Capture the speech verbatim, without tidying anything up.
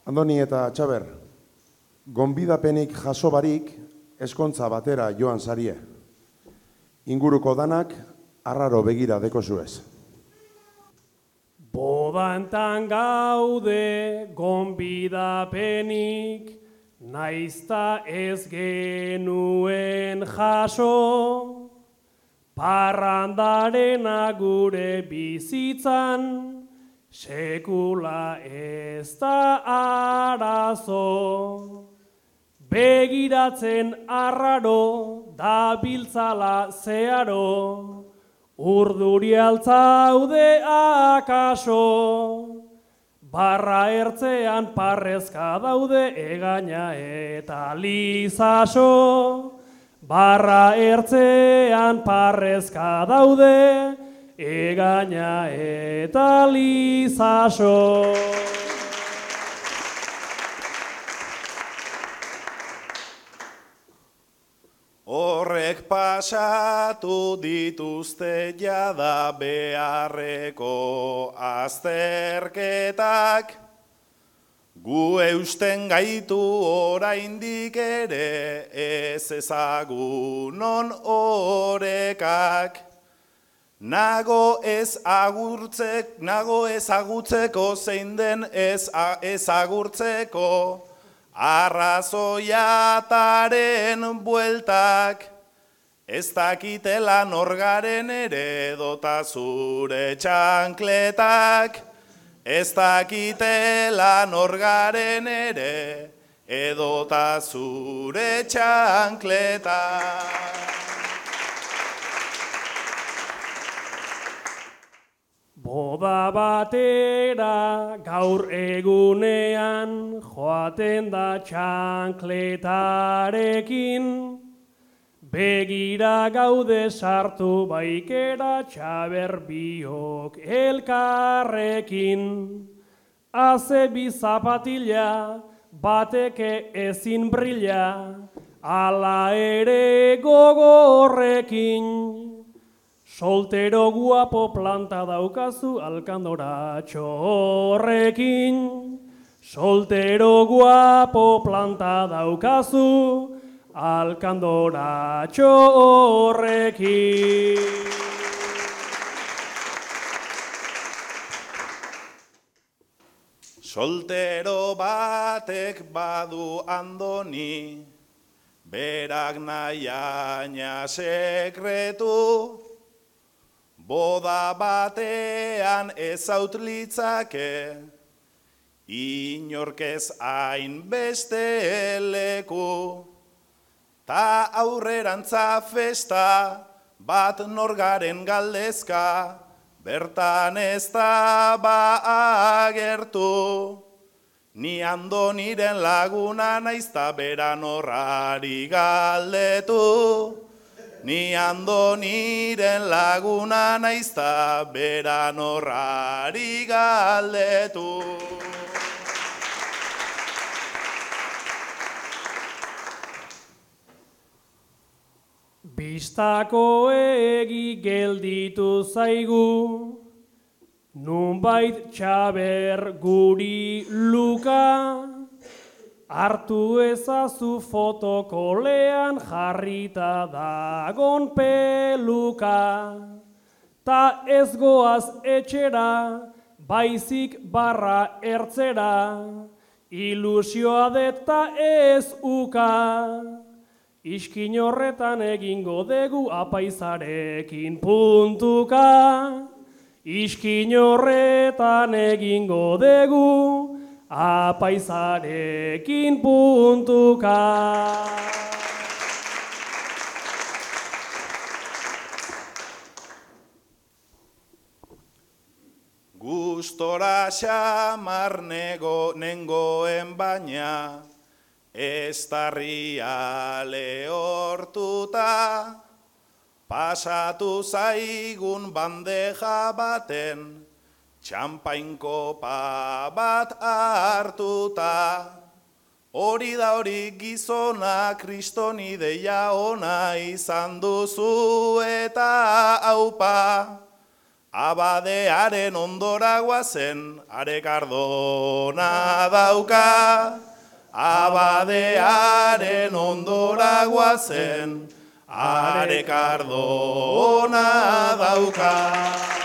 Andoni eta Txaber, gonbidapenik jaso barik eskontza batera joan zarie. Inguruko danak arraro begira deko zuez. Bodantan gaude gonbidapenik, naizta ez genuen jaso, parrandarena gure bizitzan, sekula ez da arazo. Begiratzen arraro da biltzala zeharo, urduri altzaude akaso. Barra ertzean parrezka daude egaina eta lizaso. Barra ertzean parrezka daude egaina eta lizaso. Horrek pasatu dituzte jada beharreko azterketak, gu eusten gaitu oraindik ere ez ezagunon orekak. Nago ez agurtzek, nago ezagutzeko zein den ez ezagurtzeko, arrazoiataren bueltak, ez dakitela norgaren ere dota zure txankletak, ez dakitela norgaren ere edota zure txankletak. Boda batera gaur egunean joaten da txankletarekin, begira gaude sartu baikera Txaber biok elkarrekin. Haze bi zapatila, bateke ezin brilla, ala ere gogorrekin. Soltero guapo planta daukazu alkandoratxo horrekin. Soltero guapo planta daukazu alkandoratxo horrekin. Soltero batek badu Andoni, berak nahiaina sekretu, boda batean ez autlitzake, inorkez hain beste leku. Ta aurrerantza festa bat norgaren galdezka, bertan ez da ba agertu. Ni Andoniren laguna naizta beran horrari galdetu. Ni Andoniren laguna naizta beran horrari galdetu. Bistako egi gelditu zaigu, nunbait Txaber guri luka, hartu ezazu fotokolean jarrita dagon peluka. Ta ez goaz etxera, baizik barra ertzera, ilusioa deta ez uka. Iskin horretan egingo degu apaizarekin puntuka. Iskin horretan egingo degu apaizarekin puntuka. Gustora xamar nego nengoen baina, ez tarria lehortuta, pasatu zaigun bandeja baten, txampainkopa bat hartuta. Hori da hori gizona, kriston ideia ona izan duzu eta aupa. Abadearen ondora guazen, arekardona dauka. Abadearen ondora guazen, arekardona dauka.